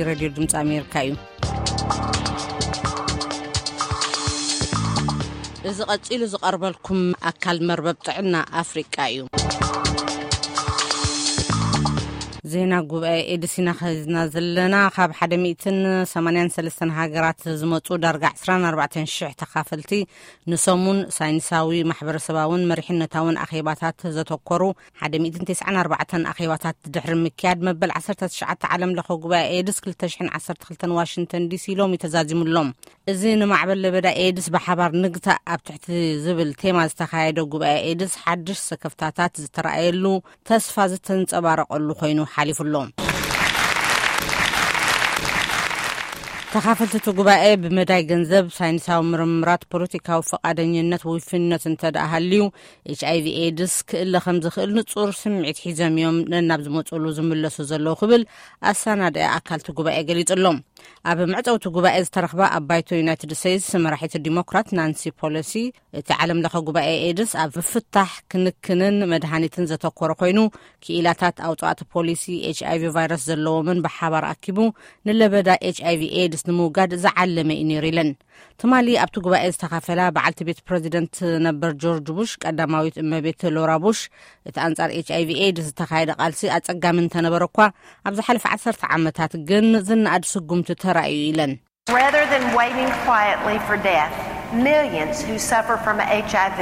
ሬድዮ ድምፂ ኣሜሪካ እዩ። እዚ ቀፂሉ ዝቐርበልኩም ኣካል መርበብ ጥዕና ኣፍሪቃ እዩ። ዜና ጉባኤ ኤድስ ኢና ኸዚና ዘለና። ካብ ሓደ ሚእትን ሰማንያን ሰለስተን ሃገራት ዝመፁ ዳርጋ ዕስራን ኣርባዕተን ሽሕ ተኻፈልቲ ንሰሙን ሳይንሳዊ፣ ማሕበረሰባውን መሪሕነታውን ኣኼባታት ዘተኮሩ ሓደ ሚእትን ተስዓን ኣርባዕተን ኣኼባታት ድሕሪ ምክያድ፣ መበል ዓሰርተ ትሽዓተ ዓለም ለኸ ጉባኤ ኤድስ ክልተ ሽሕን ዓሰርተ ክልተን ዋሽንግተን ዲሲ ሎሚ ተዛዚሙሎም። እዚ ንማዕበል ለበዳ ኤድስ ብሓባር ንግታእ ኣብ ትሕቲ ዝብል ቴማ ዝተኻየደ ጉባኤ ኤድስ ሓድሽ ስክፍታታት ዝተረኣየሉ፣ ተስፋ ዝተንጸባረቐሉ ኮይኑ ሓሊፉ ኣሎ። ተኻፈልቲ እቲ ጉባኤ ብመዳይ ገንዘብ፣ ሳይንሳዊ ምርምራት፣ ፖለቲካዊ ፈቓደኝነት፣ ውፍይነት እንተ ደኣ ሃልዩ፣ ኤች ኣይ ቪ ኤድስ ክእለ ከም ዝኽእል ንጹር ስምዒት ሒዞም እዮም ነናብ ዝመጽሉ ዝምለሱ ዘለዉ ክብል ኣሰናዳኢ ኣካል እቲ ጉባኤ ገሊጹ ኣሎ። ኣብ መዕጸዊ እቲ ጉባኤ ዝተረኽባ ኣብ ባይቶ ዩናይትድ ስቴትስ መራሒት ዲሞክራት ናንሲ ፖሎሲ፣ እቲ ዓለም ለኸ ጉባኤ ኤድስ ኣብ ምፍታሕ፣ ክንክንን መድሃኒትን ዘተኮረ ኮይኑ፣ ክኢላታት ኣውጻእቲ ፖሊሲ ኤች ኣይ ቪ ቫይረስ ዘለዎምን ብሓባር ኣኪቡ ንለበዳ ኤች ኣይ ቪ ኤድስ ንምውጋድ ዝዓለመ እዩ ነይሩ ኢለን። ትማሊ ኣብቲ ጉባኤ ዝተኻፈላ በዓልቲ ቤት ፕረዚደንት ነበር ጆርጅ ቡሽ፣ ቀዳማዊት እመቤት ሎራ ቡሽ፣ እቲ ኣንጻር ኤች ኣይ ቪ ኤድስ ዝተኻየደ ቃልሲ ኣጸጋሚ እንተነበረ እኳ፣ ኣብ ዝሓለፈ ዓሰርተ ዓመታት ግን ዝነኣድ ስጉምቲ ተራእዩ ኢለን። Rather than waiting quietly for death, millions who suffer from H I V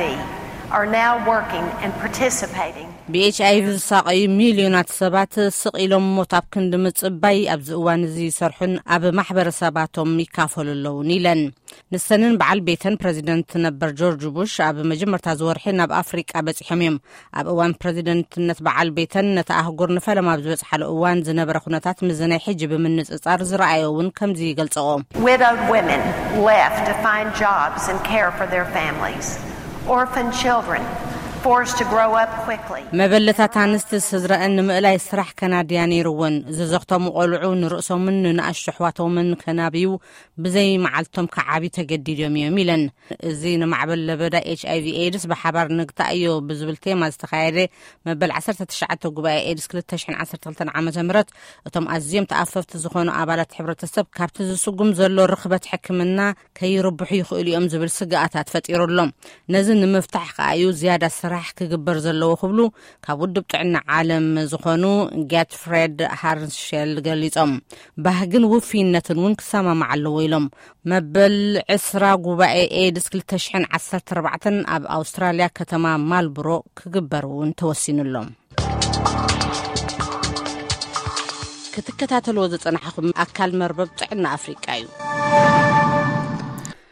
are now working and participating. ብ ኤች ኣይ ቪ ዝሳቐዩ ሚልዮናት ሰባት ስቕ ኢሎም ሞት ኣብ ክንዲ ምጽባይ ኣብዚ እዋን እዚ ይሰርሑን ኣብ ማሕበረሰባቶም ይካፈሉ ኣለውን ኢለን። ንሰንን በዓል ቤተን ፕረዚደንት ነበር ጆርጅ ቡሽ ኣብ መጀመርታ ዝወርሒ ናብ ኣፍሪቃ በጺሖም እዮም። ኣብ እዋን ፕረዚደንትነት በዓል ቤተን ነቲ ኣህጉር ንፈለማ ኣብ ዝበጽሓሉ እዋን ዝነበረ ኩነታት ምስ ናይ ሕጂ ብምንጽጻር ዝረኣዮ እውን ከምዚ ይገልጸኦ። Widowed women left to find jobs and care for their families. Orphan children forced to grow up quickly. መበለታት ኣንስቲ ስድረአን ንምእላይ ስራሕ ከናድያ ነይርወን። ዝዘኽተሙ ቆልዑ ንርእሶምን ንንኣሽቱ ኣሕዋቶምን ከናብዩ ብዘይ መዓልቶም ክዓብዩ ተገዲዶም እዮም ኢለን። እዚ ንማዕበል ለበዳ ኤች ኣይ ቪ ኤድስ ብሓባር ንግታእዮ ብዝብል ቴማ ዝተኻየደ መበል ዓሰርተ ትሽዓተ ጉባኤ ኤድስ ክልተ ሽሕን ዓሰርተ ክልተን ዓመተ ምህረት፣ እቶም ኣዝዮም ተኣፈፍቲ ዝኾኑ ኣባላት ሕብረተሰብ ካብቲ ዝስጉም ዘሎ ርኽበት ሕክምና ከይርብሑ ይኽእሉ እዮም ዝብል ስግኣታት ፈጢሩ ኣሎ። ነዚ ንምፍታሕ ከኣ እዩ ዝያዳ ስራሕ ክግበር ዘለዎ ክብሉ ካብ ውድብ ጥዕና ዓለም ዝኾኑ ጋትፍሬድ ሃርንሸል ገሊጾም። ባህግን ውፍይነትን እውን ክሰማማዕ ኣለዎ ኢሎም። መበል ዕስራ ጉባኤ ኤድስ ክልተ ሽሕን ዓሰርተ ኣርባዕተን ኣብ ኣውስትራልያ ከተማ ማልብሮ ክግበር እውን ተወሲኑ ኣሎ። ክትከታተልዎ ዝጸናሕኹም ኣካል መርበብ ጥዕና ኣፍሪቃ እዩ።